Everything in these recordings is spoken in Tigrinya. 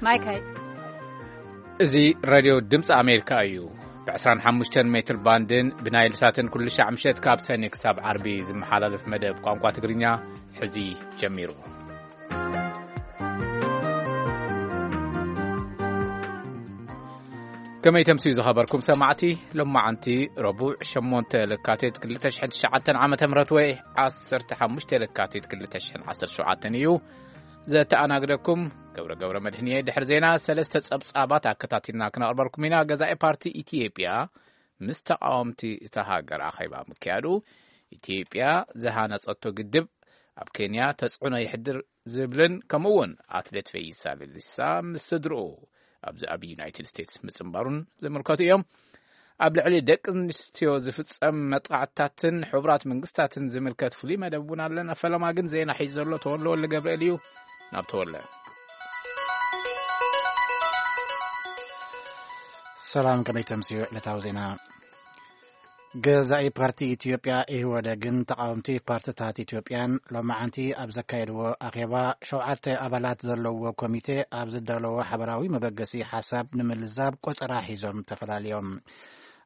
ማይካይ። እዚ ሬድዮ ድምፂ ኣሜሪካ እዩ። ብ ዕስራን ሓሙሽተን ሜትር ባንድን ብናይል ሳትን ኩሉ ሻዕ ምሸት ካብ ሰኒ ክሳብ ዓርቢ ዝመሓላለፍ መደብ ቋንቋ ትግርኛ ሕዚ ጀሚሩ። ከመይ ተምስዩ ዝኸበርኩም ሰማዕቲ፣ ሎማዓንቲ ረቡዕ ሸሞንተ ለካቲት ክልተ ሽሕን ትሽዓተን ዓመተ ምህረት ወይ ዓሰርተ ሓሙሽተ ለካቲት ክልተ ሽሕን ዓሰርተ ሸውዓተን እዩ። ዘተኣናግደኩም ገብረ ገብረ መድህንየ። ድሕሪ ዜና ሰለስተ ጸብጻባት ኣከታቲልና ክነቕርበልኩም ኢና። ገዛኢ ፓርቲ ኢትዮጵያ ምስ ተቓወምቲ እታ ሃገር ኣኼባ ምክያዱ፣ ኢትዮጵያ ዝሃነጸቶ ግድብ ኣብ ኬንያ ተጽዕኖ የሕድር ዝብልን፣ ከምኡ እውን ኣትሌት ፈይሳ ሌሊሳ ምስ ስድርኡ ኣብዚ ኣብ ዩናይትድ ስቴትስ ምጽንባሩን ዝምልከቱ እዮም። ኣብ ልዕሊ ደቂ ኣንስትዮ ዝፍጸም መጥቃዕትታትን ሕቡራት መንግስታትን ዝምልከት ፍሉይ መደብ እውን ኣለና። ፈለማ ግን ዜና ሒዙ ዘሎ ተወልደ ወልደ ገብርኤል እዩ። ናብ ተወልደ። ሰላም፣ ከመይ ተምስዩ ዕለታዊ ዜና? ገዛኢ ፓርቲ ኢትዮጵያ ኢህወደግን ተቓወምቲ ፓርትታት ኢትዮጵያን ሎማዓንቲ ኣብ ዘካየድዎ ኣኼባ፣ ሸውዓተ ኣባላት ዘለዎ ኮሚቴ ኣብ ዝዳለዎ ሓበራዊ መበገሲ ሓሳብ ንምልዛብ ቆጸራ ሒዞም ተፈላልዮም።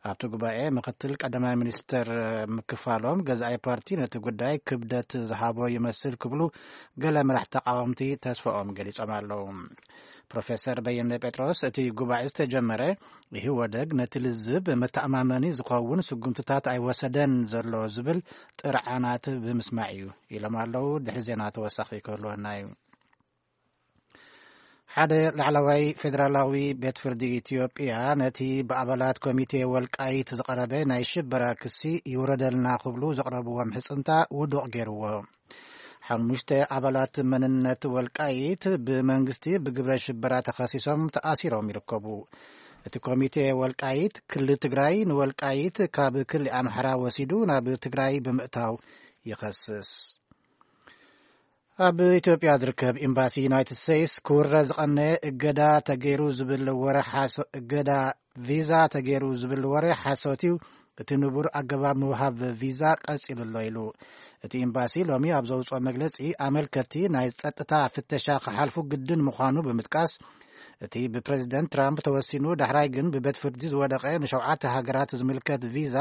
ኣብቲ ጉባኤ ምክትል ቀዳማይ ሚኒስትር ምክፋሎም፣ ገዛኢ ፓርቲ ነቲ ጉዳይ ክብደት ዝሃቦ ይመስል ክብሉ ገለ መራሕቲ ተቓወምቲ ተስፋኦም ገሊጾም ኣለዉ። ፕሮፌሰር በየነ ጴጥሮስ፣ እቲ ጉባኤ ዝተጀመረ ኢህወደግ ነቲ ልዝብ መተኣማመኒ ዝኸውን ስጉምትታት ኣይወሰደን ዘሎ ዝብል ጥርዓናት ብምስማዕ እዩ ኢሎም ኣለዉ። ድሕሪ ዜና ተወሳኺ ክህልወና እዩ። ሓደ ላዕለዋይ ፌደራላዊ ቤት ፍርዲ ኢትዮጵያ ነቲ ብኣባላት ኮሚቴ ወልቃይት ዝቐረበ ናይ ሽበራ ክሲ ይውረደልና ክብሉ ዘቕረብዎ ምሕጽንታ ውዱቕ ገይርዎ። ሓሙሽተ ኣባላት መንነት ወልቃይት ብመንግስቲ ብግብረ ሽበራ ተኸሲሶም ተኣሲሮም ይርከቡ። እቲ ኮሚቴ ወልቃይት፣ ክልል ትግራይ ንወልቃይት ካብ ክልል ኣምሓራ ወሲዱ ናብ ትግራይ ብምእታው ይኸስስ። ኣብ ኢትዮጵያ ዝርከብ ኤምባሲ ዩናይትድ ስቴትስ ክውረ ዝቐነ እገዳ ተገይሩ ዝብል ወረ ሓሶ-፣ እገዳ ቪዛ ተገይሩ ዝብል ወረ ሓሶት እዩ፣ እቲ ንቡር ኣገባብ ምውሃብ ቪዛ ቀጺሉ ኣሎ ኢሉ። እቲ ኤምባሲ ሎሚ ኣብ ዘውፅኦ መግለጺ፣ ኣመልከትቲ ናይ ጸጥታ ፍተሻ ክሓልፉ ግድን ምዃኑ ብምጥቃስ፣ እቲ ብፕሬዚደንት ትራምፕ ተወሲኑ ዳሕራይ ግን ብቤት ፍርዲ ዝወደቐ ንሸውዓተ ሃገራት ዝምልከት ቪዛ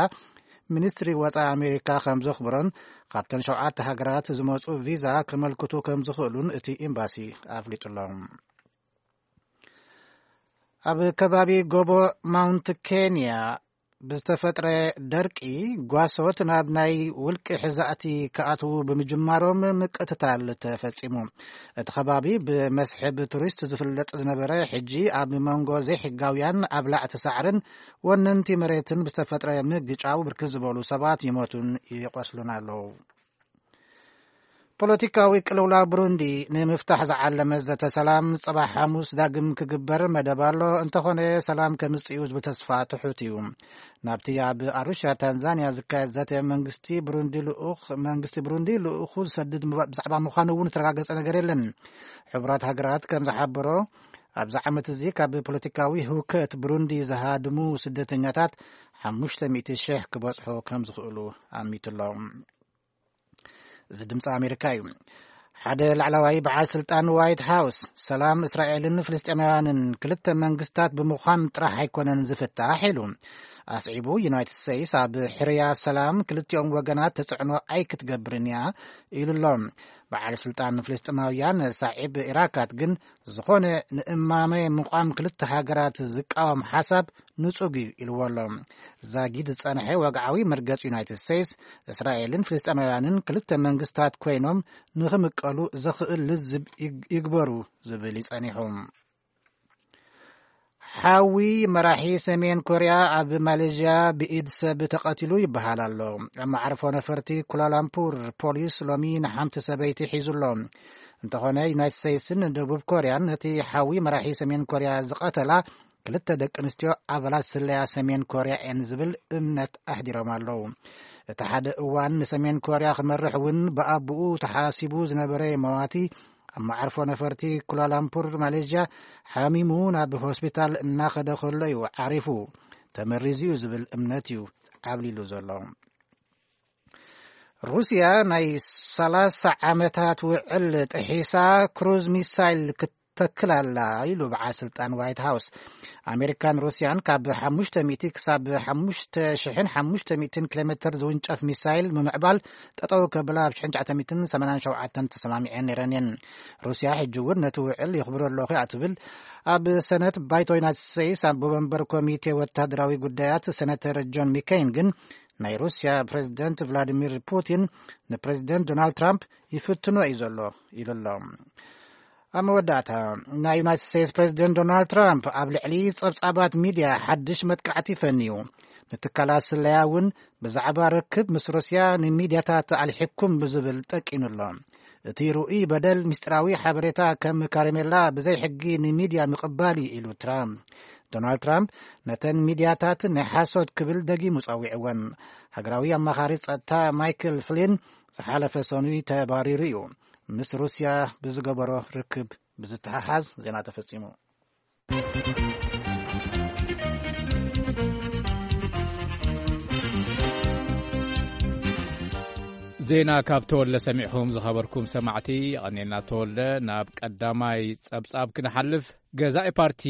ሚኒስትሪ ወጻኢ ኣሜሪካ ከም ዘኽብሮን፣ ካብተን ሸውዓተ ሃገራት ዝመጹ ቪዛ ከመልክቱ ከም ዝኽእሉን እቲ ኤምባሲ ኣፍሊጡ ኣሎ። ኣብ ከባቢ ጎቦ ማውንት ኬንያ ብዝተፈጥረ ደርቂ፣ ጓሶት ናብ ናይ ውልቂ ሕዛእቲ ክኣትዉ ብምጅማሮም ምቅትታል ተፈጺሙ። እቲ ከባቢ ብመስሕብ ቱሪስት ዝፍለጥ ዝነበረ፣ ሕጂ ኣብ መንጎ ዘይሕጋውያን ኣብላዕቲ ሳዕርን ወነንቲ መሬትን ብዝተፈጥረ ምግጫው ብርክት ዝበሉ ሰባት ይሞቱን ይቆስሉን ኣለዉ። ፖለቲካዊ ቅልውላው ብሩንዲ ንምፍታሕ ዝዓለመ ዘተ ሰላም ጽባሕ ሓሙስ ዳግም ክግበር መደብ ኣሎ። እንተኾነ ሰላም ከምጽእ እዩ ዝብል ተስፋ ትሑት እዩ። ናብቲ ኣብ ኣሩሻ ታንዛንያ ዝካየድ ዘተ መንግስቲ ብሩንዲ ልኡኽ፣ መንግስቲ ብሩንዲ ልኡኹ ዝሰድድ ምባ-፣ ብዛዕባ ምዃኑ እውን ዝተረጋገጸ ነገር የለን። ሕቡራት ሃገራት ከም ዝሓበሮ፣ ኣብዚ ዓመት እዚ ካብ ፖለቲካዊ ህውከት ብሩንዲ ዝሃድሙ ስደተኛታት ሓሙሽተ ሚእቲ ሽሕ ክበጽሑ ከም ዝኽእሉ ኣሚቱ ኣሎ። እዚ ድምፂ ኣሜሪካ እዩ። ሓደ ላዕለዋይ በዓል ስልጣን ዋይት ሃውስ፣ ሰላም እስራኤልን ፍልስጤማውያንን ክልተ መንግስታት ብምዃን ጥራሕ ኣይኮነን ዝፍታሕ ኢሉ። ኣስዒቡ፣ ዩናይትድ ስቴትስ ኣብ ሕርያ ሰላም ክልቲኦም ወገናት ተጽዕኖ ኣይክትገብርን እያ ኢሉ ኣሎ። በዓል ስልጣን ፍልስጤማውያን ሳዒብ ኢራካት ግን፣ ዝኾነ ንእማመ ምቋም ክልተ ሃገራት ዝቃወም ሓሳብ ንጹግ እዩ ኢልዎ ኣሎ። ዛጊድ ዝጸንሐ ወግዓዊ መርገጽ ዩናይትድ ስቴትስ፣ እስራኤልን ፍልስጤማውያንን ክልተ መንግስታት ኮይኖም ንኽምቀሉ ዘኽእል ልዝብ ይግ-፣ ይግበሩ ዝብል ይጸኒሑ። ሓዊ መራሒ ሰሜን ኮርያ ኣብ ማሌዥያ ብኢድ ሰብ ተቐቲሉ ይበሃል ኣሎ። ኣብ መዓርፎ ነፈርቲ ኩላላምፑር ፖሊስ ሎሚ ንሓንቲ ሰበይቲ ሒዙ ኣሎ። እንተኾነ ዩናይትድ ስቴትስን ደቡብ ኮርያን ነቲ ሓዊ መራሒ ሰሜን ኮርያ ዝቐተላ ክልተ ደቂ ኣንስትዮ ኣባላት ስለያ ሰሜን ኮርያ እየን ዝብል እምነት ኣሕዲሮም ኣለዉ። እቲ ሓደ እዋን ንሰሜን ኮርያ ክመርሕ እውን ብኣቦኡ ተሓሲቡ ዝነበረ መዋቲ ኣብ መዓርፎ ነፈርቲ ኩላላምፑር ማሌዥያ ሓሚሙ ናብ ሆስፒታል እናኸደ ከሎ እዩ ዓሪፉ። ተመሪዙ እዩ ዝብል እምነት እዩ ዓብሊሉ ዘሎ። ሩስያ ናይ ሰላሳ ዓመታት ውዕል ጥሒሳ ክሩዝ ሚሳይል ክት-፣ ተክል ኣላ ኢሉ በዓል ስልጣን ዋይት ሃውስ። ኣሜሪካን ሩስያን ካብ ሓሙሽተ ሚእቲ ክሳብ ሓሙሽተ ሽሕን ሓሙሽተ ሚእትን ኪሎ ሜትር ዝውንጨፍ ሚሳይል ምምዕባል ጠጠው ከብላ ኣብ ሽሕን ትሽዓተ ሚእትን ሰማንያን ሸውዓተን ተሰማሚዐን ነይረን እየን። ሩስያ ሕጂ እውን ነቲ ውዕል ይኽብሮ ኣለኹ እያ ትብል። ኣብ ሰነት ባይቶ ዩናይትድ ስቴትስ ኣብ ወንበር ኮሚቴ ወታደራዊ ጉዳያት ሰነተር ጆን ሚከይን ግን ናይ ሩስያ ፕሬዚደንት ቭላዲሚር ፑቲን ንፕሬዚደንት ዶናልድ ትራምፕ ይፍትኖ እዩ ዘሎ ኢሉ ኣሎ። ኣብ መወዳእታ፣ ናይ ዩናይትድ ስቴትስ ፕሬዚደንት ዶናልድ ትራምፕ ኣብ ልዕሊ ጸብጻባት ሚድያ ሓድሽ መጥቃዕቲ ፈንዩ። ንትካላት ስለያ እውን ብዛዕባ ርክብ ምስ ሩስያ ንሚድያታት ኣልሒኩም ብዝብል ጠቂኑ ኣሎ። እቲ ርኡይ በደል ምስጢራዊ ሓበሬታ ከም ካረሜላ ብዘይ ሕጊ ንሚድያ ምቕባል እዩ ኢሉ ትራምፕ። ዶናልድ ትራምፕ ነተን ሚድያታት ናይ ሓሶት ክብል ደጊሙ ጸዊዕወን። ሃገራዊ ኣማኻሪ ጸጥታ ማይክል ፍሊን ዝሓለፈ ሰኑይ ተባሪሩ እዩ። ምስ ሩስያ ብዝገበሮ ርክብ ብዝተሓሓዝ ዜና ተፈጺሙ። ዜና ካብ ተወልደ ሰሚዕኹም ዝኸበርኩም ሰማዕቲ፣ የቐኔልና ተወልደ። ናብ ቀዳማይ ጸብጻብ ክንሓልፍ፣ ገዛኢ ፓርቲ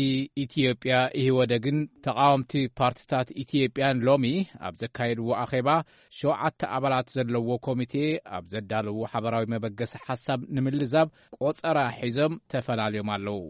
ኢትዮጵያ ኢህወደግን ተቓወምቲ ፓርትታት ኢትዮጵያን ሎሚ ኣብ ዘካየድዎ ኣኼባ ሸውዓተ ኣባላት ዘለዎ ኮሚቴ ኣብ ዘዳለዎ ሓበራዊ መበገሲ ሓሳብ ንምልዛብ ቆጸራ ሒዞም ተፈላልዮም ኣለዉ።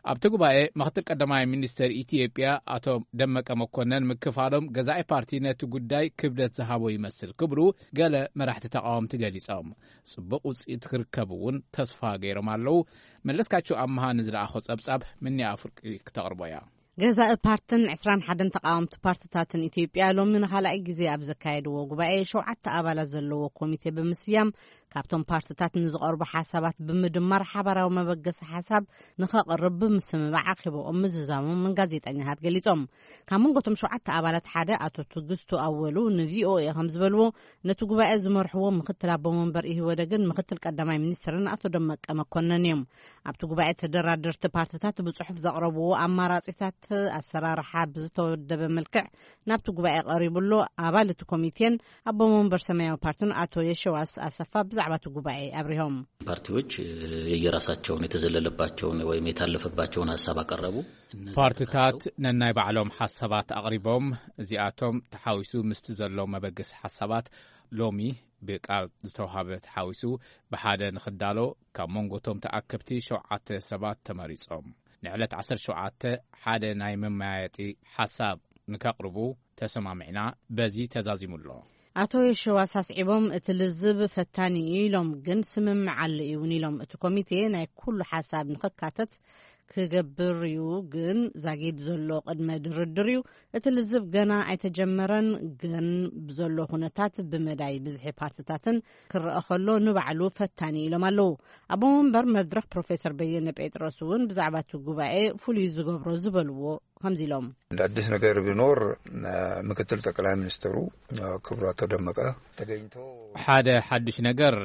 ኣብቲ ጉባኤ ምክትል ቀዳማይ ሚኒስትር ኢትዮጵያ ኣቶ ደመቀ መኮነን ምክፋሎም ገዛኢ ፓርቲ ነቲ ጉዳይ ክብደት ዝሃቦ ይመስል ክብሉ ገለ መራሕቲ ተቃወምቲ ገሊጾም። ጽቡቕ ውጽኢት ክርከብ እውን ተስፋ ገይሮም ኣለዉ። መለስካቸው ኣምሃ ንዝለኣኾ ጸብጻብ ምኒ ኣፍርቂ ክተቕርቦ እያ። ገዛኢ ፓርትን ዕስራን ሓደን ተቃወምቲ ፓርትታትን ኢትዮጵያ ሎሚ ንኻልኣይ ግዜ ኣብ ዘካየድዎ ጉባኤ ሸውዓተ ኣባላት ዘለዎ ኮሚቴ ብምስያም ካብቶም ፓርትታት ንዝቐርቡ ሓሳባት ብምድማር ሓባራዊ መበገሲ ሓሳብ ንኸቕርብ ብምስምማዕ ኣኼባኦም ምዝዛሞም ጋዜጠኛታት ገሊጾም። ካብ መንጎቶም ሸውዓተ ኣባላት ሓደ ኣቶ ትግስቱ ኣወሉ ንቪኦኤ ከም ዝበልዎ፣ ነቲ ጉባኤ ዝመርሕዎ ምክትል ኣቦ መንበር ኢህወደግን ምክትል ቀዳማይ ሚኒስትርን ኣቶ ደመቀ መኮነን እዮም። ኣብቲ ጉባኤ ተደራደርቲ ፓርትታት ብጽሑፍ ዘቕረብዎ ኣማራጺታት ኣሰራርሓ ብዝተወደበ መልክዕ ናብቲ ጉባኤ ቀሪቡ ኣሎ። ኣባል እቲ ኮሚቴን ኣቦ መንበር ሰማያዊ ፓርቲን ኣቶ የሸዋስ ኣሰፋ ብዛዕባ እቲ ጉባኤ ኣብሪሆም። ፓርቲዎች የየራሳቸውን የተዘለለባቸውን ወይም የታለፈባቸውን ሀሳብ አቀረቡ። እነዚህ ፓርትታት ተካተው ነናይ ባዕሎም ሓሳባት ኣቕሪቦም፣ እዚኣቶም ተሓዊሱ ምስቲ ዘሎ መበገሲ ሓሳባት ሎሚ ብቃል ዝተውሃበ ተሓዊሱ ብሓደ ንኽዳሎ ካብ መንጎቶም ተኣከብቲ ሸውዓተ ሰባት ተመሪጾም። ንዕለት ዓሰርተ ሸውዓተ ሓደ ናይ መመያየጢ ሓሳብ ንከቕርቡ ተሰማሚዕና፣ በዚ ተዛዚሙ ኣሎ። ኣቶ የሸዋስ ኣስዒቦም፣ እቲ ልዝብ ፈታኒ እዩ ኢሎም፣ ግን ስምምዕ ኣሎ እውን ኢሎም። እቲ ኮሚቴ ናይ ኩሉ ሓሳብ ንኽካተት ክገብር እዩ፣ ግን ዛጊድ ዘሎ ቅድመ ድርድር እዩ። እቲ ልዝብ ገና ኣይተጀመረን፣ ግን ብዘሎ ኩነታት ብመዳይ ብዝሒ ፓርትታትን ክረአ ከሎ ንባዕሉ ፈታኒ ኢሎም ኣለዉ። ኣቦ መንበር መድረኽ ፕሮፌሰር በየነ ጴጥሮስ እውን ብዛዕባ እቲ ጉባኤ ፍሉይ ዝገብሮ ዝበልዎ ከምዚ ኢሎም። እንደ አዲስ ነገር ቢኖር፣ ምክትል ጠቅላይ ሚኒስትሩ ክቡር አቶ ደመቀ ተገኝቶ ሓደ ሓድሽ ነገር፣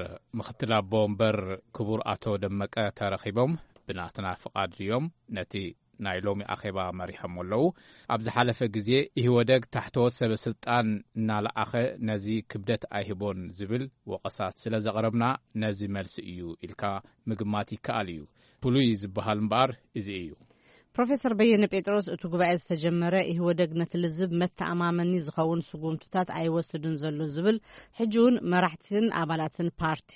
ምክትል ኣቦ ወንበር ክቡር ኣቶ ደመቀ ተረኺቦም ብናትና ፍቓድ እዮም ነቲ ናይ ሎሚ ኣኼባ መሪሖም ኣለዉ። ኣብ ዝሓለፈ ግዜ ኢህወደግ ታሕተዎት ሰበ ስልጣን እናለኣኸ ነዚ ክብደት ኣይህቦን ዝብል ወቐሳት ስለ ዘቕረብና ነዚ መልሲ እዩ ኢልካ ምግማት ይከኣል እዩ። ፍሉይ ዝበሃል እምበኣር እዚ እዩ። ፕሮፌሰር በየነ ጴጥሮስ፣ እቲ ጉባኤ ዝተጀመረ ኢህወደግ ነቲ ልዝብ መተኣማመኒ ዝኸውን ስጉምትታት ኣይወስድን ዘሎ ዝብል፣ ሕጂ እውን መራሕትን ኣባላትን ፓርቲ፣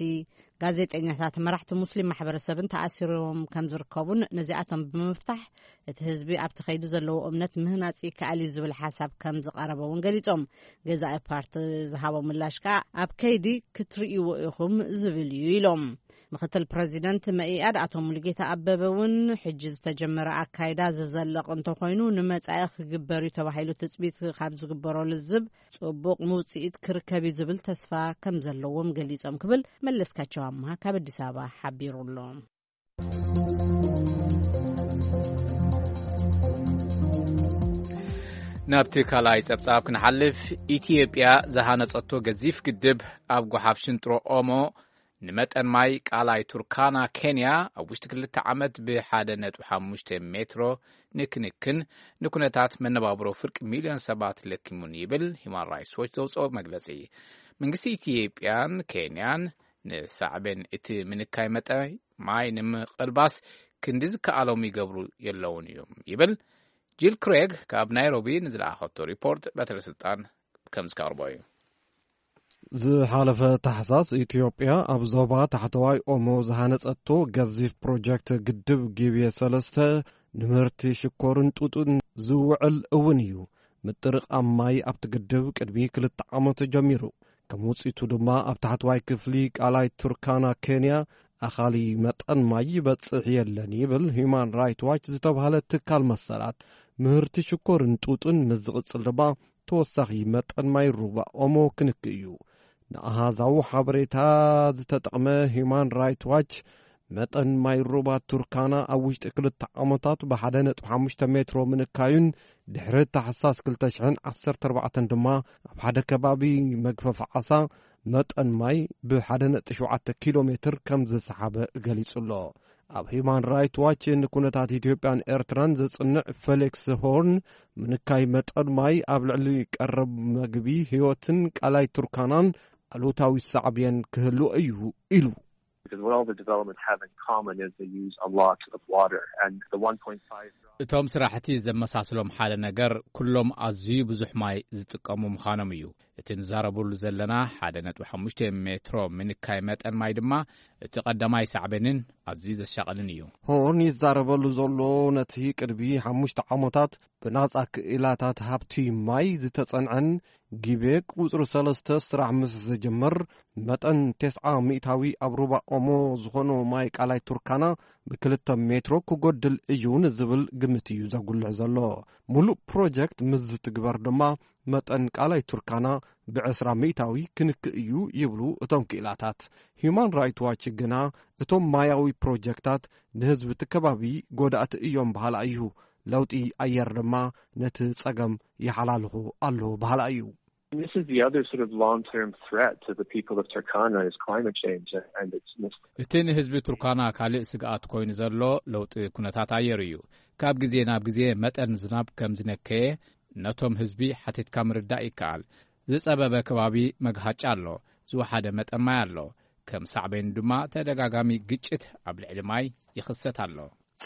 ጋዜጠኛታት፣ መራሕቲ ሙስሊም ማሕበረሰብን ተኣሲሮም ከም ዝርከቡን ነዚኣቶም ብምፍታሕ እቲ ህዝቢ ኣብቲ ከይዲ ዘለዎ እምነት ምህናፅ ይከኣል እዩ ዝብል ሓሳብ ከም ዝቐረበ እውን ገሊፆም። ገዛኢ ፓርቲ ዝሃቦ ምላሽ ከዓ ኣብ ከይዲ ክትርእይዎ ኢኹም ዝብል እዩ ኢሎም። ምክትል ፕረዚደንት መኢኣድ ኣቶ ሙሉጌታ ኣበበ እውን ሕጂ ዝተጀመረ ኣካይዳ ዘዘለቕ እንተኾይኑ ንመጻኢ ክግበር እዩ ተባሂሉ ትጽቢት ካብ ዝግበሮ ልዝብ ጽቡቕ ውጽኢት ክርከብ እዩ ዝብል ተስፋ ከም ዘለዎም ገሊጾም ክብል መለስካቸው ኣምሃ ካብ ኣዲስ ኣበባ ሓቢሩ ኣሎ። ናብቲ ካልኣይ ጸብጻብ ክንሓልፍ፣ ኢትዮጵያ ዝሃነጸቶ ገዚፍ ግድብ ኣብ ጓሓፍ ሽንጥሮ ኦሞ ንመጠን ማይ ቃላይ ቱርካና ኬንያ ኣብ ውሽጢ ክልተ ዓመት ብ ሓደ ነጥቢ ሓሙሽተ ሜትሮ ንክንክን ንኩነታት መነባብሮ ፍርቂ ሚልዮን ሰባት ለኪሙን ይብል ሂማን ራይትስ ዎች ዘውፅኦ መግለፂ። መንግስቲ ኢትዮጵያን ኬንያን ንሳዕቤን እቲ ምንካይ መጠን ማይ ንምቕልባስ ክንዲ ዝከኣሎም ይገብሩ የለውን እዮም ይብል። ጂል ክሬግ ካብ ናይሮቢ ንዝለኣኸቶ ሪፖርት በትረ ስልጣን ከም ዝቀርቦ እዩ። ዝሓለፈ ታሕሳስ ኢትዮጵያ ኣብ ዞባ ታሕተዋይ ኦሞ ዝሃነጸቶ ገዚፍ ፕሮጀክት ግድብ ጊቤ ሰለስተ ንምህርቲ ሽኮርን ጡጥን ዝውዕል እውን እዩ። ምጥርቓም ማይ ኣብቲ ግድብ ቅድሚ ክልተ ዓመት ጀሚሩ። ከም ውጽኢቱ ድማ ኣብ ታሕተዋይ ክፍሊ ቃላይ ቱርካና ኬንያ ኣኻሊ መጠን ማይ ይበጽሕ የለን ይብል ሂዩማን ራይት ዋች ዝተባህለ ትካል መሰላት። ምህርቲ ሽኮርን ጡጥን ምስ ዝቕጽል ድማ ተወሳኺ መጠን ማይ ሩባ ኦሞ ክንክ እዩ። ንኣሃዛዊ ሓበሬታ ዝተጠቕመ ሂዩማን ራይት ዋች መጠን ማይ ሩባ ቱርካና ኣብ ውሽጢ ክልተ ዓመታት ብ ሓደ ነጥቢ ሓሙሽተ ሜትሮ ምንካዩን ድሕሪ ታሕሳስ ክልተ ሽሕን ዓሰርተ ኣርባዕተን ድማ ኣብ ሓደ ከባቢ መግፈፍ ዓሳ መጠን ማይ ብ ሓደ ነጥቢ ሸውዓተ ኪሎ ሜትር ከም ዝሰሓበ ገሊጹ ኣሎ። ኣብ ሂዩማን ራይት ዋች ንኩነታት ኢትዮጵያን ኤርትራን ዘጽንዕ ፌሊክስ ሆርን ምንካይ መጠን ማይ ኣብ ልዕሊ ቀረብ መግቢ ህይወትን ቃላይ ቱርካናን ኣሉታዊ ሳዕብየን ክህሉ እዩ ኢሉ። Because what all the developments have in common is they use a lot of water, and the one point five እቶም ስራሕቲ ዘመሳስሎም ሓደ ነገር ኩሎም ኣዝዩ ብዙሕ ማይ ዝጥቀሙ ምዃኖም እዩ። እቲ ንዛረበሉ ዘለና ሓደ ነጥቢ ሓሙሽተ ሜትሮ ምንካይ መጠን ማይ ድማ እቲ ቀዳማይ ሳዕቤንን ኣዝዩ ዘሻቕልን እዩ። ሆርን ይዛረበሉ ዘሎ ነቲ ቅድሚ ሓሙሽተ ዓመታት ብናጻ ክኢላታት ሃብቲ ማይ ዝተጸንዐን ጊቤ ቁጽሪ ሰለስተ ስራሕ ምስ ዝጅምር መጠን ተስዓ ሚእታዊ ኣብ ሩባ ኦሞ ዝኾኑ ማይ ቃላይ ቱርካና ብክልተ ሜትሮ ክጎድል እዩ ንዝብል ግምት እዩ ዘጉልሕ ዘሎ። ሙሉእ ፕሮጀክት ምስ ዝትግበር ድማ መጠን ቃላይ ቱርካና ብዕስራ ሚእታዊ ክንክ እዩ ይብሉ እቶም ክኢላታት። ሂዩማን ራይት ዋች ግና እቶም ማያዊ ፕሮጀክታት ንህዝቢ እቲ ከባቢ ጎዳእቲ እዮም በሃላ እዩ። ለውጢ ኣየር ድማ ነቲ ጸገም ይሓላልኹ ኣሎ በሃላ እዩ። And this is the other sort of long-term threat to the people of Turkana is climate change and its mis- እቲ ንህዝቢ ቱርካና ካልእ ስግኣት ኮይኑ ዘሎ ለውጢ ኩነታት ኣየር እዩ። ካብ ግዜ ናብ ግዜ መጠን ዝናብ ከም ዝነከየ ነቶም ህዝቢ ሓቲትካ ምርዳእ ይከኣል። ዝጸበበ ከባቢ መግሃጫ ኣሎ፣ ዝወሓደ መጠን ማይ ኣሎ። ከም ሳዕቤን ድማ ተደጋጋሚ ግጭት ኣብ ልዕሊ ማይ ይኽሰት ኣሎ።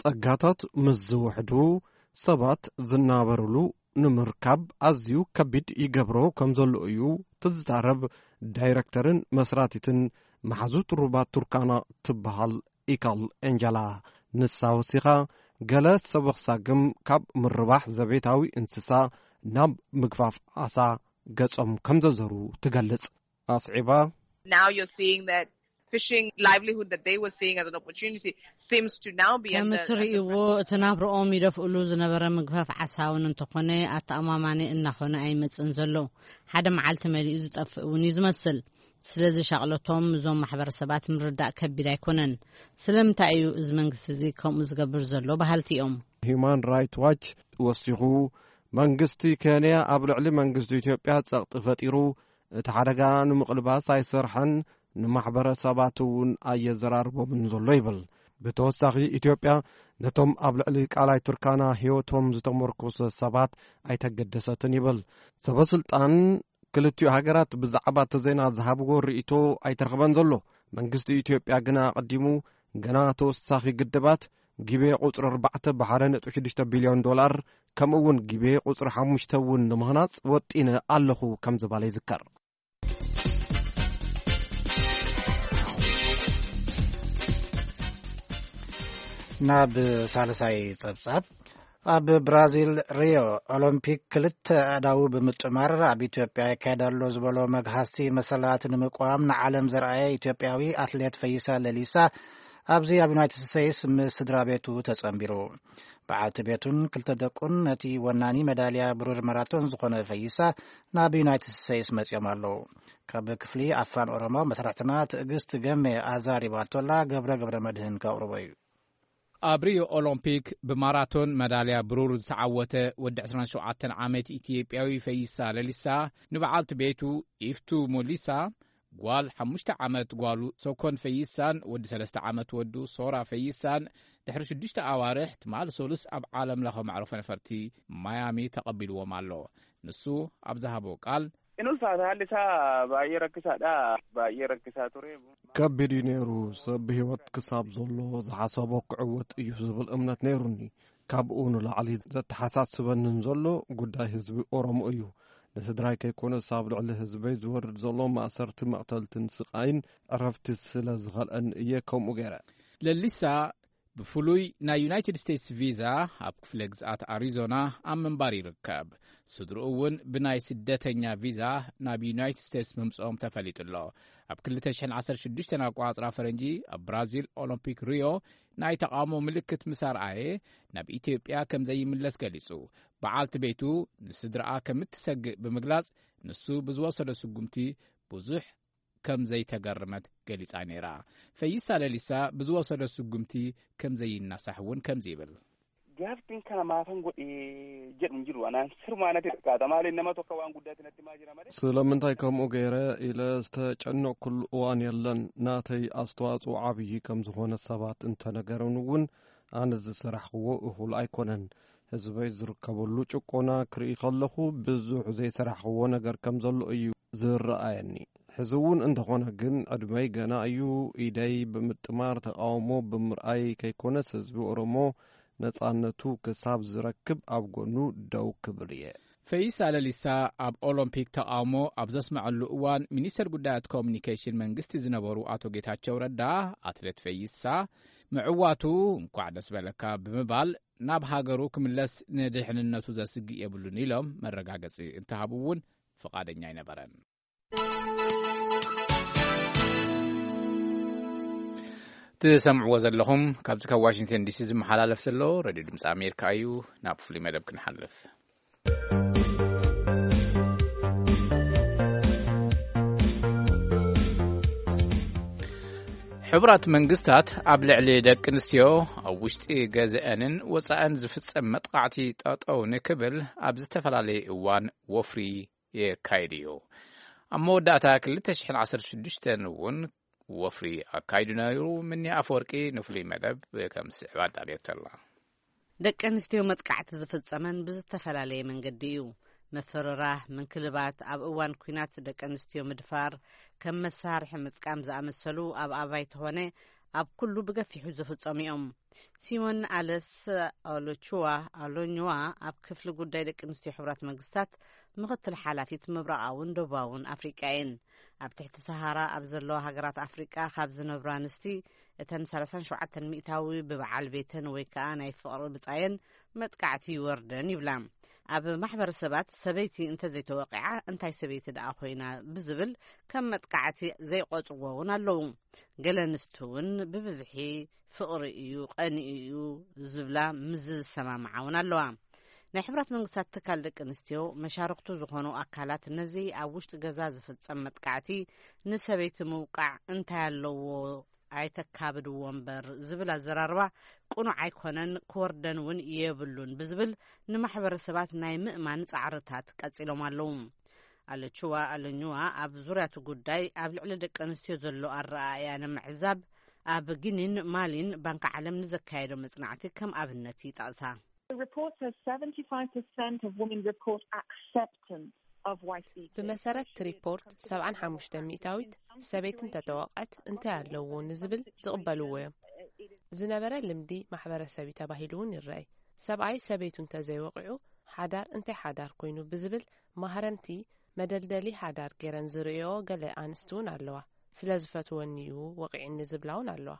ጸጋታት ምስ ዝውሕዱ ሰባት ዝናበርሉ ንምርካብ ኣዝዩ ከቢድ ይገብሮ ከም ዘሎ እዩ ትዛረብ ዳይረክተርን መስራቲትን መሓዙት ሩባ ቱርካና ትበሃል ኢካል ኤንጀላ። ንሳ ወሲኻ ገለ ሰበኽሳግም ካብ ምርባሕ ዘቤታዊ እንስሳ ናብ ምግፋፍ ዓሳ ገጾም ከም ዘዘሩ ትገልጽ። ኣስዒባ Now you're seeing that fishing livelihood that they were seeing as an opportunity seems to now be ከም under እትርእይዎ እቲ ናብርኦም ይደፍእሉ ዝነበረ ምግፋፍ ዓሳ እውን እንተኾነ ኣተኣማማኒ እናኾነ ኣይመጽእን ዘሎ። ሓደ መዓልቲ መሊኡ ዝጠፍእ እውን እዩ ዝመስል። ስለዚ ሻቕለቶም እዞም ማሕበረሰባት ምርዳእ ከቢድ ኣይኮነን። ስለምንታይ እዩ እዚ መንግስቲ እዚ ከምኡ ዝገብር ዘሎ በሃልቲ እዮም። ሂዩማን ራይት ዋች ወሲኹ መንግስቲ ኬንያ ኣብ ልዕሊ መንግስቲ ኢትዮጵያ ጸቕጢ ፈጢሩ እቲ ሓደጋ ንምቕልባስ ኣይሰርሐን፣ ንማሕበረሰባት እውን ኣየዘራርቦምን ዘሎ ይብል። ብተወሳኺ ኢትዮጵያ ነቶም ኣብ ልዕሊ ቃላይ ቱርካና ህይወቶም ዝተመርኮሰ ሰባት ኣይተገደሰትን ይብል። ሰበስልጣን ክልቲኡ ሃገራት ብዛዕባ እቲ ዜና ዝሃብዎ ርእይቶ ኣይተረኽበን ዘሎ። መንግስቲ ኢትዮጵያ ግና ኣቐዲሙ ገና ተወሳኺ ግድባት ጊቤ ቁጽሪ ኣርባዕተ ብ ሓደ ነጥቢ ሽዱሽተ ቢልዮን ዶላር ከምኡ እውን ጊቤ ቁጽሪ ሓሙሽተ እውን ንምህናጽ ወጢነ ኣለኹ ከም ዝበለ ይዝከር። ናብ ሳልሳይ ጸብጻብ። ኣብ ብራዚል ሪዮ ኦሎምፒክ ክልተ ኣእዳዉ ብምጥማር ኣብ ኢትዮጵያ ይካየድ ኣሎ ዝበሎ መግሃሲ መሰላት ንምቋም ንዓለም ዘርኣየ ኢትዮጵያዊ ኣትሌት ፈይሳ ለሊሳ ኣብዚ ኣብ ዩናይትድ ስቴትስ ምስ ስድራ ቤቱ ተጸንቢሩ። በዓልቲ ቤቱን ክልተ ደቁን ነቲ ወናኒ መዳልያ ብሩር ማራቶን ዝኾነ ፈይሳ ናብ ዩናይትድ ስቴትስ መጺኦም ኣለዉ። ካብ ክፍሊ ኣፋን ኦሮሞ መሰርሕትና ትዕግስት ገሜ ኣዛሪባቶላ ገብረ ገብረ መድህን ከቕርቦ እዩ። ኣብ ሪዮ ኦሎምፒክ ብማራቶን መዳልያ ብሩር ዝተዓወተ ወዲ ዕስራን ሸውዓተን ዓመት ኢትዮጵያዊ ፈይሳ ለሊሳ ንበዓልቲ ቤቱ ኢፍቱ ሞሊሳ ጓል ሓሙሽተ ዓመት ጓሉ ሶኮን ፈይሳን ወዲ ሰለስተ ዓመት ወዱ ሶራ ፈይሳን ድሕሪ ሽዱሽተ ኣዋርሕ ትማል ሰሉስ ኣብ ዓለም ለኸ መዕረፎ ነፈርቲ ማያሚ ተቐቢልዎም ኣሎ። ንሱ ኣብ ዝሃቦ ቃል Inulfaata haalli isaa baay'ee rakkisaadha. Baay'ee rakkisaa ture. ከቢድ እዩ ነይሩ። ሰብ ብህይወት ክሳብ ዘሎ ዝሓሰቦ ክዕወት እዩ ዝብል እምነት ነይሩኒ። ካብኡ ንላዕሊ ዘተሓሳስበንን ዘሎ ጉዳይ ህዝቢ ኦሮሞ እዩ። ንስድራይ ከይኮነስ ኣብ ልዕሊ ህዝበይ ዝወርድ ዘሎ ማእሰርቲ፣ መቕተልትን ስቓይን ዕረፍቲ ስለ ዝኸልአኒ እየ ከምኡ ገይረ። ለሊሳ ብፍሉይ ናይ ዩናይትድ ስቴትስ ቪዛ ኣብ ክፍለ ግዝኣት ኣሪዞና ኣብ ምንባር ይርከብ። ስድርኡ እውን ብናይ ስደተኛ ቪዛ ናብ ዩናይትድ ስቴትስ ምምፅኦም ተፈሊጡ ኣሎ። ኣብ ክልተ ሽሕን ዓሰርተ ሽዱሽተን ኣቆፃፅራ ፈረንጂ ኣብ ብራዚል ኦሎምፒክ ሪዮ ናይ ተቓውሞ ምልክት ምስ ኣርኣየ ናብ ኢትዮጵያ ከም ዘይምለስ ገሊጹ። በዓልቲ ቤቱ ንስድራኣ ከም እትሰግእ ብምግላጽ ንሱ ብዝወሰዶ ስጉምቲ ብዙሕ ከም ዘይተገረመት ገሊጻ ነይራ። ፈይሳ ለሊሳ ብዝወሰዶ ስጉምቲ ከም ዘይናሳሕ እውን ከምዚ ይብል። Gaaffiin kana maafan godhe jedhu hin jiru. Anaan sirmaa natti fakkaata. Maaliin nama tokko waan guddaatti natti himaa jira malee. ስለምንታይ ከምኡ ገይረ ኢለ ዝተጨነቕኩሉ እዋን የለን። ናተይ ኣስተዋፅኦ ዓብዪ ከም ዝኾነ ሰባት እንተነገሩን እውን ኣነ ዝሰራሕኽዎ እኹል ኣይኮነን። ህዝበይ ዝርከበሉ ጭቆና ክርኢ ከለኹ ብዙሕ ዘይሰራሕኽዎ ነገር ከም ዘሎ እዩ ዝረኣየኒ። ሕዚ እውን እንተኾነ ግን ዕድመይ ገና እዩ። ኢደይ ብምጥማር ተቓውሞ ብምርኣይ ከይኮነስ ህዝቢ ኦሮሞ ነጻነቱ ክሳብ ዝረክብ ኣብ ጎኑ ደው ክብል እየ። ፈይሳ ለሊሳ ኣብ ኦሎምፒክ ተቓውሞ ኣብ ዘስመዐሉ እዋን ሚኒስተር ጉዳያት ኮሚኒኬሽን መንግስቲ ዝነበሩ ኣቶ ጌታቸው ረዳ ኣትሌት ፈይሳ ምዕዋቱ እንኳዕ ደስ በለካ ብምባል ናብ ሃገሩ ክምለስ ንድሕንነቱ ዘስግእ የብሉን ኢሎም መረጋገጺ እንተሃቡ እውን ፍቓደኛ ኣይነበረን። ትሰምዕዎ ዘለኹም ካብዚ ካብ ዋሽንግተን ዲሲ ዝመሓላለፍ ዘሎ ሬድዮ ድምፂ ኣሜሪካ እዩ። ናብ ፍሉይ መደብ ክንሓልፍ። ሕቡራት መንግስታት ኣብ ልዕሊ ደቂ ኣንስትዮ ኣብ ውሽጢ ገዝአንን ወፃእን ዝፍፀም መጥቃዕቲ ጠጠው ንክብል ኣብ ዝተፈላለየ እዋን ወፍሪ የካይድ እዩ። ኣብ መወዳእታ ክልተ ሽሕን ዓሰርተ ሽዱሽተን እውን ወፍሪ ኣካይዱ ነይሩ። ምኒ ኣፈወርቂ ንፍሉይ መደብ ከም ዝስዕብ ኣዳልየቶ ኣላ። ደቂ ኣንስትዮ መጥቃዕቲ ዝፍጸመን ብዝተፈላለየ መንገዲ እዩ። ምፍርራህ፣ ምንክልባት፣ ኣብ እዋን ኲናት ደቂ ኣንስትዮ ምድፋር፣ ከም መሳርሒ ምጥቃም ዝኣመሰሉ ኣብ ኣባይቲ ኾነ ኣብ ኩሉ ብገፊሑ ዝፍጸሙ እዮም። ሲሞን ኣለስ ኦሎቹዋ ኣሎኝዋ ኣብ ክፍሊ ጉዳይ ደቂ ኣንስትዮ ሕቡራት መንግስታት ምኽትል ሓላፊት ምብራቓውን ደቡባውን ኣፍሪቃ እየን። ኣብ ትሕቲ ሰሃራ ኣብ ዘለዋ ሃገራት ኣፍሪቃ ካብ ዝነብራ ኣንስቲ እተን ሰላሳን ሸውዓተን ሚእታዊ ብበዓል ቤተን ወይ ከኣ ናይ ፍቕሪ ብጻየን መጥቃዕቲ ይወርደን ይብላ። ኣብ ማሕበረሰባት ሰበይቲ እንተዘይተወቂዓ እንታይ ሰበይቲ ደኣ ኮይና ብዝብል ከም መጥቃዕቲ ዘይቆጽርዎ እውን ኣለዉ። ገለ ኣንስቲ እውን ብብዝሒ ፍቕሪ እዩ፣ ቀንኢ እዩ ዝብላ ምስ ዝሰማምዓ እውን ኣለዋ። ናይ ሕቡራት መንግስታት ትካል ደቂ ኣንስትዮ መሻርክቱ ዝኾኑ ኣካላት ነዚ ኣብ ውሽጢ ገዛ ዝፍጸም መጥቃዕቲ ንሰበይቲ ምውቃዕ እንታይ ኣለዎ ኣይተካብድዎ እምበር ዝብል ኣዘራርባ ቅኑዕ ኣይኮነን፣ ክወርደን እውን የብሉን ብዝብል ንማሕበረሰባት ናይ ምእማን ጻዕርታት ቀጺሎም ኣለዉ። ኣለችዋ ኣለኝዋ ኣብ ዙርያ እቲ ጉዳይ ኣብ ልዕሊ ደቂ ኣንስትዮ ዘሎ ኣረኣእያ ንምዕዛብ ኣብ ጊኒን ማሊን ባንኪ ዓለም ንዘካየዶ መጽናዕቲ ከም ኣብነት ይጠቕሳ። The report says seventy-five percent of women report acceptance of wife beating. ብመሰረት እቲ ሪፖርት፣ ሰብዓን ሓሙሽተ ሚእታዊት ሰበይቲ እንተተወቕዐት እንታይ ኣለዎ ንዝብል ዝቕበልዎ እዮም። ዝነበረ ልምዲ ማሕበረሰብ እዩ ተባሂሉ እውን ይረኣይ። ሰብኣይ ሰበይቱ እንተዘይወቒዑ ሓዳር እንታይ ሓዳር ኮይኑ ብዝብል ማህረምቲ መደልደሊ ሓዳር ገይረን ዝርእይኦ ገለ ኣንስቲ እውን ኣለዋ። ስለ ዝፈትወኒ እዩ ወቒዕኒ ዝብላ እውን ኣለዋ።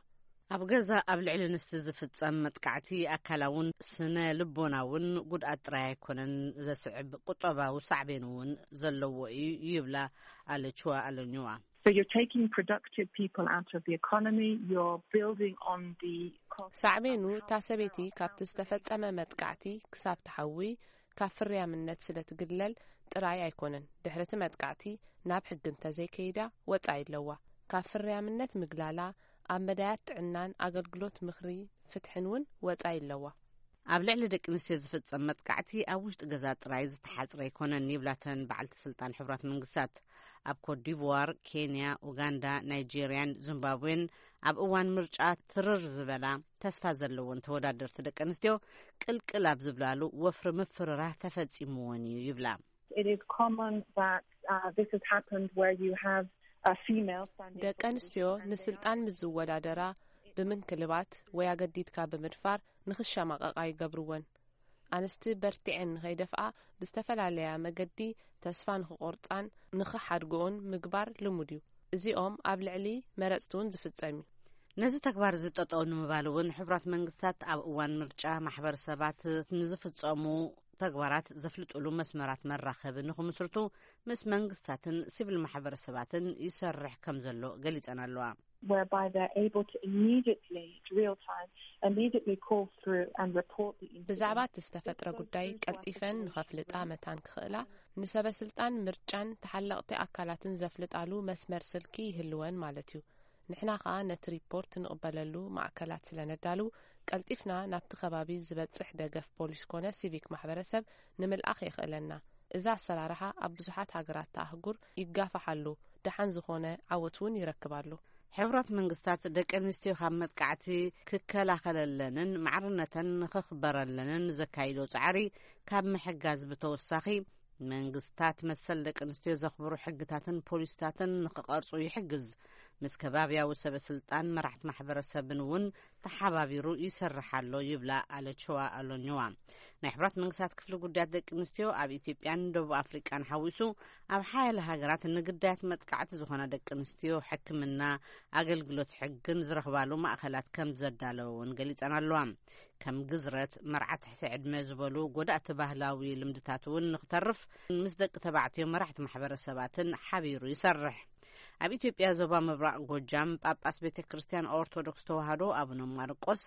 ኣብ ገዛ ኣብ ልዕሊ ኣንስቲ ዝፍጸም መጥቃዕቲ ኣካላውን ስነ ልቦናውን ጉድኣት ጥራይ ኣይኮነን ዘስዕብ፣ ቁጠባዊ ሳዕቤን እውን ዘለዎ እዩ ይብላ ኣለችዋ ኣለኝዋ። So you're taking productive people out of the economy, you're building on the cost. ሳዕቤኑ እታ ሰበይቲ ካብቲ ዝተፈጸመ መጥቃዕቲ ክሳብ ትሓዊ ካብ ፍርያምነት ስለ ትግለል ጥራይ ኣይኮነን፣ ድሕሪ እቲ መጥቃዕቲ ናብ ሕጊ እንተዘይከይዳ ወጻኢ ኣለዋ። ካብ ፍርያምነት ምግላላ ኣብ መዳያት ጥዕናን ኣገልግሎት ምኽሪ ፍትሕን እውን ወጻኢ ኣለዋ። ኣብ ልዕሊ ደቂ ኣንስትዮ ዝፍጸም መጥቃዕቲ ኣብ ውሽጢ ገዛ ጥራይ ዝተሓጽረ ኣይኮነን ይብላ እተን በዓልቲ ስልጣን ሕቡራት መንግስታት። ኣብ ኮትዲቯር፣ ኬንያ፣ ኡጋንዳ፣ ናይጄርያን ዚምባብዌን ኣብ እዋን ምርጫ ትርር ዝበላ ተስፋ ዘለወን ተወዳደርቲ ደቂ ኣንስትዮ ቅልቅል ኣብ ዝብላሉ ወፍሪ ምፍርራህ ተፈጺምወን እዩ ይብላ። It is common that Uh, this has happened where you have a female standing ደቂ ኣንስትዮ ንስልጣን ምስ ዝወዳደራ ብምንክልባት ወይ ኣገዲድካ ብምድፋር ንኽሸማቐቓ ይገብርወን። ኣንስቲ በርቲዐን ንኸይደፍኣ ብዝተፈላለያ መገዲ ተስፋ ንኽቖርጻን ንኽሓድግኡን ምግባር ልሙድ እዩ። እዚኦም ኣብ ልዕሊ መረጽቲ እውን ዝፍጸም እዩ። ነዚ ተግባር እዚ ጠጠው ንምባል እውን ሕቡራት መንግስታት ኣብ እዋን ምርጫ ማሕበረሰባት ንዝፍጸሙ ተግባራት ዘፍልጥሉ መስመራት መራኸቢ ንኽምስርቱ ምስ መንግስታትን ሲቪል ማሕበረሰባትን ይሰርሕ ከም ዘሎ ገሊጸን ኣለዋ። Whereby they're able to immediately, it's real time, immediately call through and report the incident. ብዛዕባ እቲ ዝተፈጥረ ጉዳይ ቀልጢፈን ንኸፍልጣ መታን ክኽእላ፣ ንሰበ ስልጣን ምርጫን ተሓለቕቲ ኣካላትን ዘፍልጣሉ መስመር ስልኪ ይህልወን ማለት እዩ። ንሕና ኸኣ ነቲ ሪፖርት ንቕበለሉ ማእከላት ስለ ነዳሉ፣ ቀልጢፍና ናብቲ ከባቢ ዝበጽሕ ደገፍ ፖሊስ ኮነ ሲቪክ ማሕበረሰብ ንምልኣኽ የኽእለና። እዚ ኣሰራርሓ ኣብ ብዙሓት ሃገራት ኣህጉር ይጋፋሕ ኣሎ፣ ደሓን ዝኾነ ዓወት እውን ይረክብ ኣሎ። ሕቡራት መንግስታት ደቂ ኣንስትዮ ካብ መጥቃዕቲ ክከላኸለለንን ማዕርነተን ንኸኽበረለንን ዘካይዶ ጻዕሪ ካብ ምሕጋዝ ብተወሳኺ፣ መንግስታት መሰል ደቂ ኣንስትዮ ዘኽብሩ ሕግታትን ፖሊሲታትን ንኽቐርጹ ይሕግዝ። ምስ ከባብያዊ ሰበ ስልጣን መራሕቲ ማሕበረሰብን እውን ተሓባቢሩ ይሰርሕ ኣሎ ይብላ ኣለችዋ ኣሎኝዋ። ናይ ሕቡራት መንግስታት ክፍሊ ጉዳያት ደቂ ኣንስትዮ ኣብ ኢትዮጵያን ደቡብ ኣፍሪቃን ሓዊሱ ኣብ ሓያለ ሃገራት ንግዳያት መጥቃዕቲ ዝኾና ደቂ ኣንስትዮ ሕክምና፣ ኣገልግሎት ሕግን ዝረኽባሉ ማእኸላት ከም ዘዳለወ እውን ገሊጸን ኣለዋ። ከም ግዝረት፣ መርዓ ትሕቲ ዕድመ ዝበሉ ጎዳእቲ ባህላዊ ልምድታት እውን ንክተርፍ ምስ ደቂ ተባዕትዮ መራሕቲ ማሕበረሰባትን ሓቢሩ ይሰርሕ። ኣብ ኢትዮጵያ ዞባ ምብራቕ ጎጃም ጳጳስ ቤተ ክርስቲያን ኦርቶዶክስ ተዋህዶ ኣቡነ ማርቆስ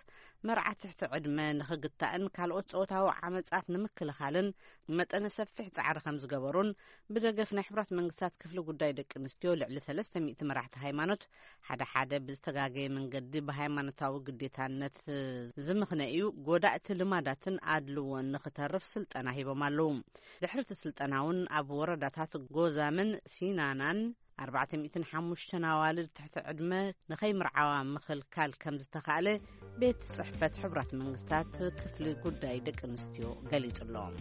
መርዓ ትሕቲ ዕድመ ንኽግታእን ካልኦት ጾታዊ ዓመጻት ንምክልኻልን መጠነ ሰፊሕ ጻዕሪ ከም ዝገበሩን ብደገፍ ናይ ሕቡራት መንግስታት ክፍሊ ጉዳይ ደቂ ኣንስትዮ ልዕሊ ሰለስተ ሚእቲ መራሕቲ ሃይማኖት ሓደ ሓደ ብዝተጋገየ መንገዲ ብሃይማኖታዊ ግዴታነት ዝምኽነ እዩ፣ ጎዳእቲ ልማዳትን ኣድልዎን ንኽተርፍ ስልጠና ሂቦም ኣለዉ። ድሕሪ እቲ ስልጠና እውን ኣብ ወረዳታት ጎዛምን ሲናናን ኣርባዕተ ሚእትን ሓሙሽተን ኣዋልድ ትሕቲ ዕድመ ንኸይምርዓዋ ምኽልካል ከም ዝተኻእለ ቤት ጽሕፈት ሕቡራት መንግስታት ክፍሊ ጉዳይ ደቂ ኣንስትዮ ገሊጹ ኣሎ።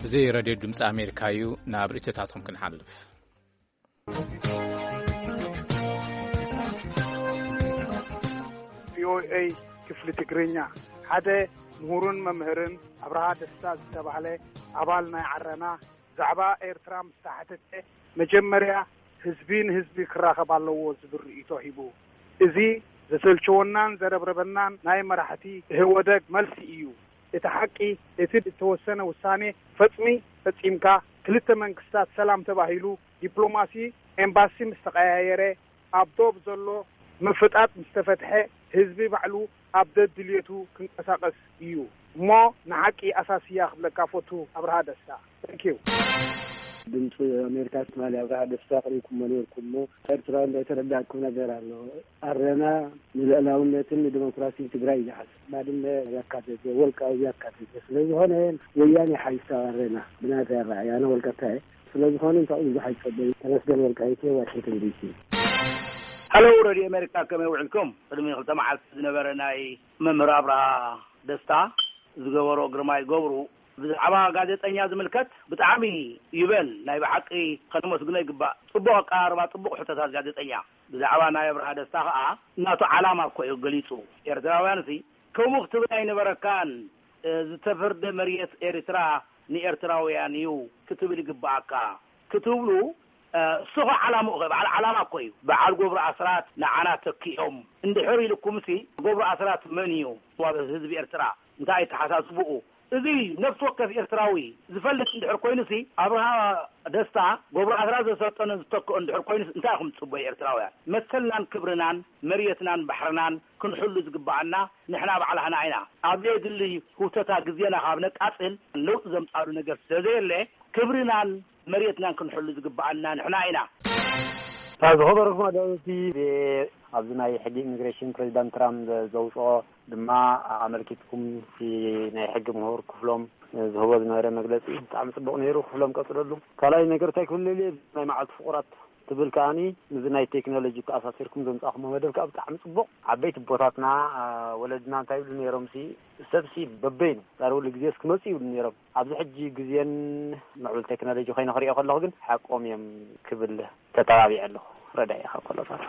እዚ ሬድዮ ድምፂ ኣሜሪካ እዩ። ናብ ርእይቶታትኩም ክንሓልፍ። ቪኦኤ ክፍሊ ትግርኛ ሓደ ምሁርን መምህርን ኣብርሃ ደስታ ዝተባህለ ኣባል ናይ ዓረና ብዛዕባ ኤርትራ ምስ ተሓተተ መጀመርያ ህዝቢ ንህዝቢ ክራኸብ ኣለዎ ዝብል ርእይቶ ሂቡ። እዚ ዘሰልቸወናን ዘረብረበናን ናይ መራሕቲ ኢህወደግ መልሲ እዩ። እቲ ሓቂ እቲ እተወሰነ ውሳኔ ፈጽሚ ፈጺምካ ክልተ መንግስታት ሰላም ተባሂሉ ዲፕሎማሲ ኤምባሲ ምስ ተቐያየረ ኣብ ዶብ ዘሎ ምፍጣጥ ምስ ተፈትሐ ህዝቢ ባዕሉ ኣብ ደድልየቱ ክንቀሳቐስ እዩ እሞ ንሓቂ ኣሳስያ ክብለካ ፈቱ ኣብርሃ ደስታ። Thank you። ድምፂ ኣሜሪካ ትማሊ ኣብርሃ ደስታ ኣቕሪብኩሞ ነይርኩም እሞ ኤርትራዊ እንዳይተረዳእኩም ነገር ኣሎ። ኣረና ንልዕላውነትን ንዲሞክራሲን ትግራይ ይሓስ ባድመ ያካተተ ወልቃዊ ያካተተ ስለዝኾነ ወያኔ ሓይሳ ኣረና ብናተይ ኣረኣያ ኣነ ወልቀታ እየ። ስለዝኾነ እንታኡ ብዙሕ ኣይትጸበዩ። ተመስገን ወልቃይቴ ዋሽንግተን ዲሲ። ሀሎ ረድዮ ኣሜሪካ ከመይ ውዕልኩም? ቅድሚ ክልተ መዓልቲ ዝነበረ ናይ መምህር ኣብርሃ ደስታ ዝገበሮ ግርማይ ገብሩ ብዛዕባ ጋዜጠኛ ዝምልከት ብጣዕሚ ይበል ናይ ብሓቂ ከነመስግኖ ይግባእ። ጽቡቕ ኣቀራርባ፣ ጽቡቕ ሕቶታት ጋዜጠኛ። ብዛዕባ ናይ ኣብርሃ ደስታ ከኣ እናቱ ዓላማ እኮ እዩ ገሊጹ። ኤርትራውያን ሲ ከምኡ ክትብል ኣይነበረካን። ዝተፈርደ መሬት ኤርትራ ንኤርትራውያን እዩ ክትብል ይግባኣካ ክትብሉ እሱ ኸ ዓላምኡ ኸ በዓል ዓላማ እኮ እዩ። በዓል ገብሩ ኣስራት ንዓና ተኪኦም እንድሕር ኢልኩምሲ ገብሩ ኣስራት መን እዩ? ዋበ ህዝቢ ኤርትራ እንታይ ኣተሓሳስብኡ? እዚ ነፍሲ ወከፍ ኤርትራዊ ዝፈልጥ እንድሕር ኮይኑሲ ኣብርሃ ደስታ ገብሩ ኣስራት ዘሰልጠኖ ዝተክኦ እንድሕር ኮይኑስ እንታይ ኢኹም ትጽበዩ ኤርትራውያን? መሰልናን ክብርናን መሬትናን ባሕርናን ክንሕሉ ዝግባኣና ንሕና ባዕላህና ኢና። ኣብ ዘየድሊ ህውተታ ግዜና ካብ ነቃጽል ለውጢ ዘምጻሉ ነገር ስለዘየለ ክብርናን መሬትናን ክንሕሉ ዝግባኣና ንሕና ኢና። ዝኸበርኩም ኣዳለውቲ ኣብዚ ናይ ሕጊ ኢሚግሬሽን ፕሬዚዳንት ትራምፕ ዘውፅኦ ድማ ኣመልኪትኩም ናይ ሕጊ ምሁር ክፍሎም ዝህቦ ዝነበረ መግለፂ ብጣዕሚ ፅቡቅ ነይሩ። ክፍሎም ቀፅለሉ። ካልኣይ ነገር እንታይ ክብል ደልየ ናይ መዓልቲ ፍቁራት ትብል ከኣኒ፣ ምስዚ ናይ ቴክኖሎጂ ተኣሳሲርኩም ዘምጻእኩሞ መደብ ከኣ ብጣዕሚ ጽቡቕ። ዓበይቲ ኣቦታትና፣ አ፣ ወለድና እንታይ ይብሉ ነይሮም ሲ፣ ሰብሲ በበይኑ ዳርውሉ ግዜስ ክመጹ ይብሉ ነይሮም። ኣብዚ ሕጂ ግዜን ምዕቡል ቴክኖሎጂ ኮይነ ክሪኦ ከለኹ ግን ሓቆም እዮም ክብል ተጠባቢዐ ኣለኹ። ረዳኢ ካብ ኮሎራዶ።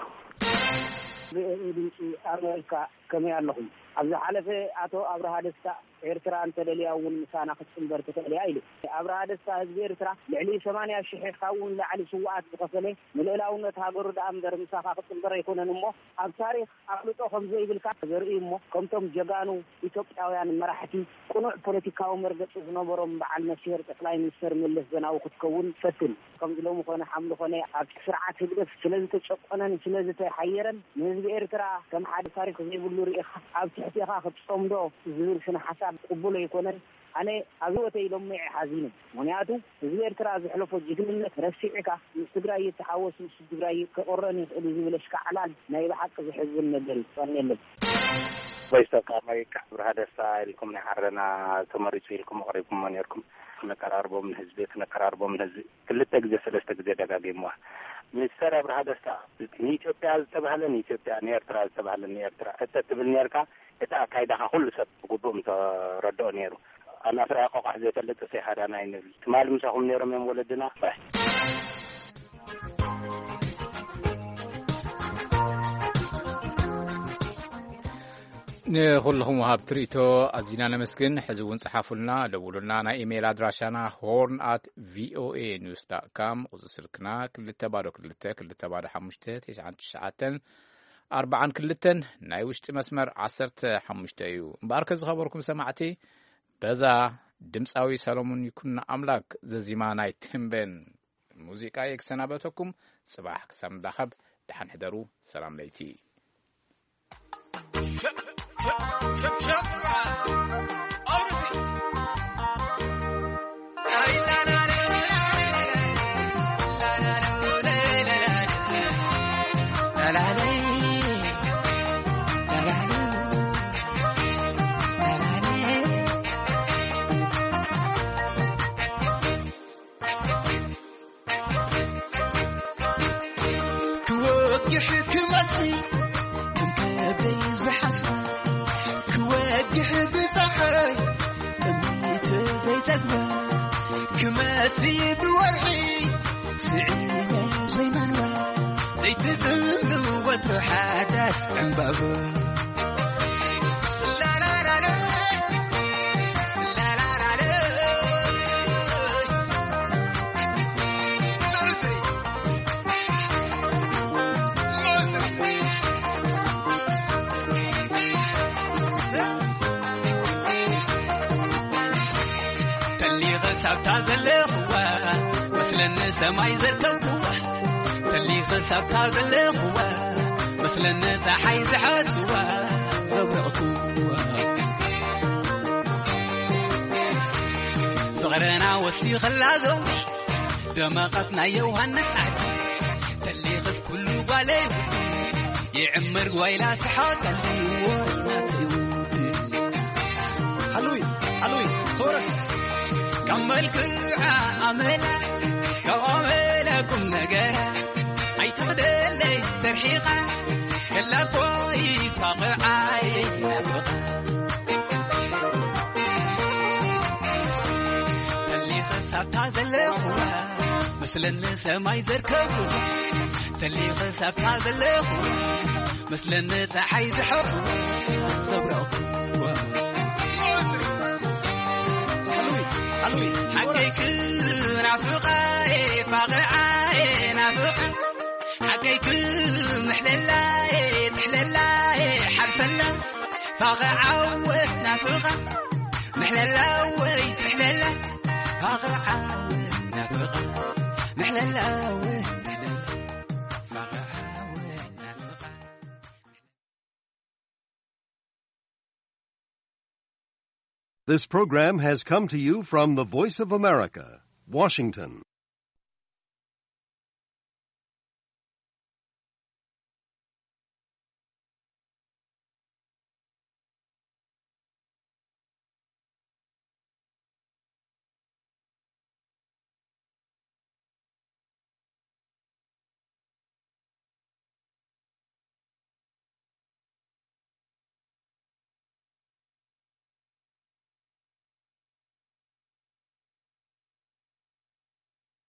ድምፂ ኣሜሪካ፣ ከመይ ኣለኹም? ኣብ ዝሓለፈ ኣቶ ኣብርሃ ደስታ፣ ኤርትራ እንተደልያ እውን ምሳና ክትፅንበር ትኽእል እያ ኢሉ። ኣብርሃ ደስታ፣ ህዝቢ ኤርትራ ልዕሊ ሰማንያ ሽሕ ካብኡ ንላዕሊ ስውኣት ዝኸፈለ፣ ንልእላውነት ሃገሩ ደኣ እምበር ምሳኻ ክትፅንበር ኣይኮነን እሞ፣ ኣብ ታሪኽ ኣፍልጦ ከም ዘይብልካ ዘርኢ እሞ፣ ከምቶም ጀጋኑ ኢትዮጵያውያን መራሕቲ ቅኑዕ ፖለቲካዊ መርገጺ ዝነበሮም በዓል ነፍስሄር ጠቅላይ ሚኒስተር መለስ ዘናዊ ክትከውን ፈትን። ከምዚ ሎሚ ኮነ ሓምሊ ኮነ ኣብቲ ስርዓት ህግደፍ ስለ ዝተጨቆነን ስለ ዝተሓየረን ንህዝቢ ኤርትራ ከም ሓደ ታሪኽ ዘይብሉ ርኢኻ ኣብ ትሕቴኻ ክትጸምዶ ዝብል ስነ ሓሳብ ቅቡል ኣይኮነን። ኣነ ኣብ ህይወተይ ሎሚዐ ሓዚነ። ምኽንያቱ ህዝቢ ኤርትራ ዘሕለፎ ጅግንነት ረሲዕካ ምስ ትግራይ ይተሓወስ፣ ምስ ትግራይ ክቕረን ይኽእል እዩ ዝብል ኣሽካዕላል ናይ ብሓቂ ዘሕዝን ነገር እዩ። ቀንየለይ። ቮይስ ኦፍ ኣሜሪካ፣ ብርሃ ደስታ ኢልኩም ናይ ዓረና ተመሪጹ ኢልኩም ኣቕሪብኩሞ ነርኩም። ክነቀራርቦም ንህዝቢ፣ ክነቀራርቦም ንህዝቢ። ክልተ ግዜ፣ ሰለስተ ግዜ ደጋጊምዋ። ሚስተር ኣብርሃ ደስታ፣ ንኢትዮጵያ ዝተባህለ ንኢትዮጵያ፣ ንኤርትራ ዝተባህለ ንኤርትራ እተ ትብል ነርካ፣ እቲ ኣካይዳኻ ኩሉ ሰብ ብግቡእ ምተረድኦ ነይሩ። ኣናፍራ ቆቋሕ ዘይፈልጥ እሰይ ሃዳና ኣይንብል። ትማሊ ምሳኹም ነይሮም እዮም ወለድና። ባይ። ንኹልኹም ወሃብቲ ርእይቶ ኣዚና ነመስግን። ሕዚ እውን ጸሓፉልና፣ ደውሉልና። ናይ ኢሜይል ኣድራሻና ሆርን ኣት ቪኦኤ ኒውስ ዳት ካም፣ ቁጽሪ ስልክና ክልተ ባዶ ክልተ ክልተ ባዶ ሓሙሽተ ትሽዓን ትሽዓተን ኣርባዓን ክልተን፣ ናይ ውሽጢ መስመር ዓሰርተ ሓሙሽተ እዩ። እምበኣርከ ዝኸበርኩም ሰማዕቲ፣ በዛ ድምጻዊ ሰሎሞን ይኩኖ ኣምላክ ዘዚማ ናይ ቴምቤን ሙዚቃ እየ ክሰናበተኩም። ጽባሕ ክሳብ ንራኸብ፣ ደሓን ሕደሩ። ሰላም ለይቲ። ክወግሕ ክመሲ ከም ከብደይ ዝሓስባ፣ ክወግሕ ብፀሓይ ጥሜት ዘይጠግባ፣ ክመሲ ብወርሒ ስዒመ ዘይመንባ፣ ዘይትፅምሉ ወትሩ ሓዳስ ዕምባባ። ተሊኸ ሳብታ ዘለኽዋ መስለኒ ሰማይ ዘርከብክዋ፣ ተሊኸ ሳብታ ዘለኽዋ መስለኒ ፀሓይ ዝሓዝክዋ ዘብረቕክዋ። ፍቕርና ወሲኸላ ዘው ደመቐት ናይ ዮሃንስ ዓዲ፣ ተሊኸስ ኩሉ ጓለይ ውዲ ይዕምር ጓይላ ስሓቀሊ ወይናተይ ውዲ። ሓሉይ፣ ሓሉይ፣ ተወረስ። ካብ መልክዓ ኣመላ፣ ካብ ኣመላ ቁም ነገር ኣይትኽደለይ ተርሒቓ፣ ከላ ኮይ ፋቕዓይ ናፍቓ። ተሊኸ ሳብታ ዘለኹዋ መስለኒ ሰማይ ዘርከቡ፣ ተሊኸ ሳብታ ዘለኹዋ መስለኒ ፀሓይ ዝሐቡ ዘብረቕኩዋ። ሓሉይ፣ ሓሉይ፣ ሓቀይ ክናፍቓ፣ ፋቕዓይ ናፍቓ፣ ሓቀይ ክምሕለላ፣ ትሕለላ፣ ሓልፈላ፣ ፋቕዓወ ናፍቓ፣ ምሕለላ ወይ ትሕለላ፣ ፋቕዓወ ናፍቓ፣ ምሕለላ ወይ ትሕለላ፣ ፋቕዓወ ናፍቓ። This program has come to you from the Voice of America, Washington.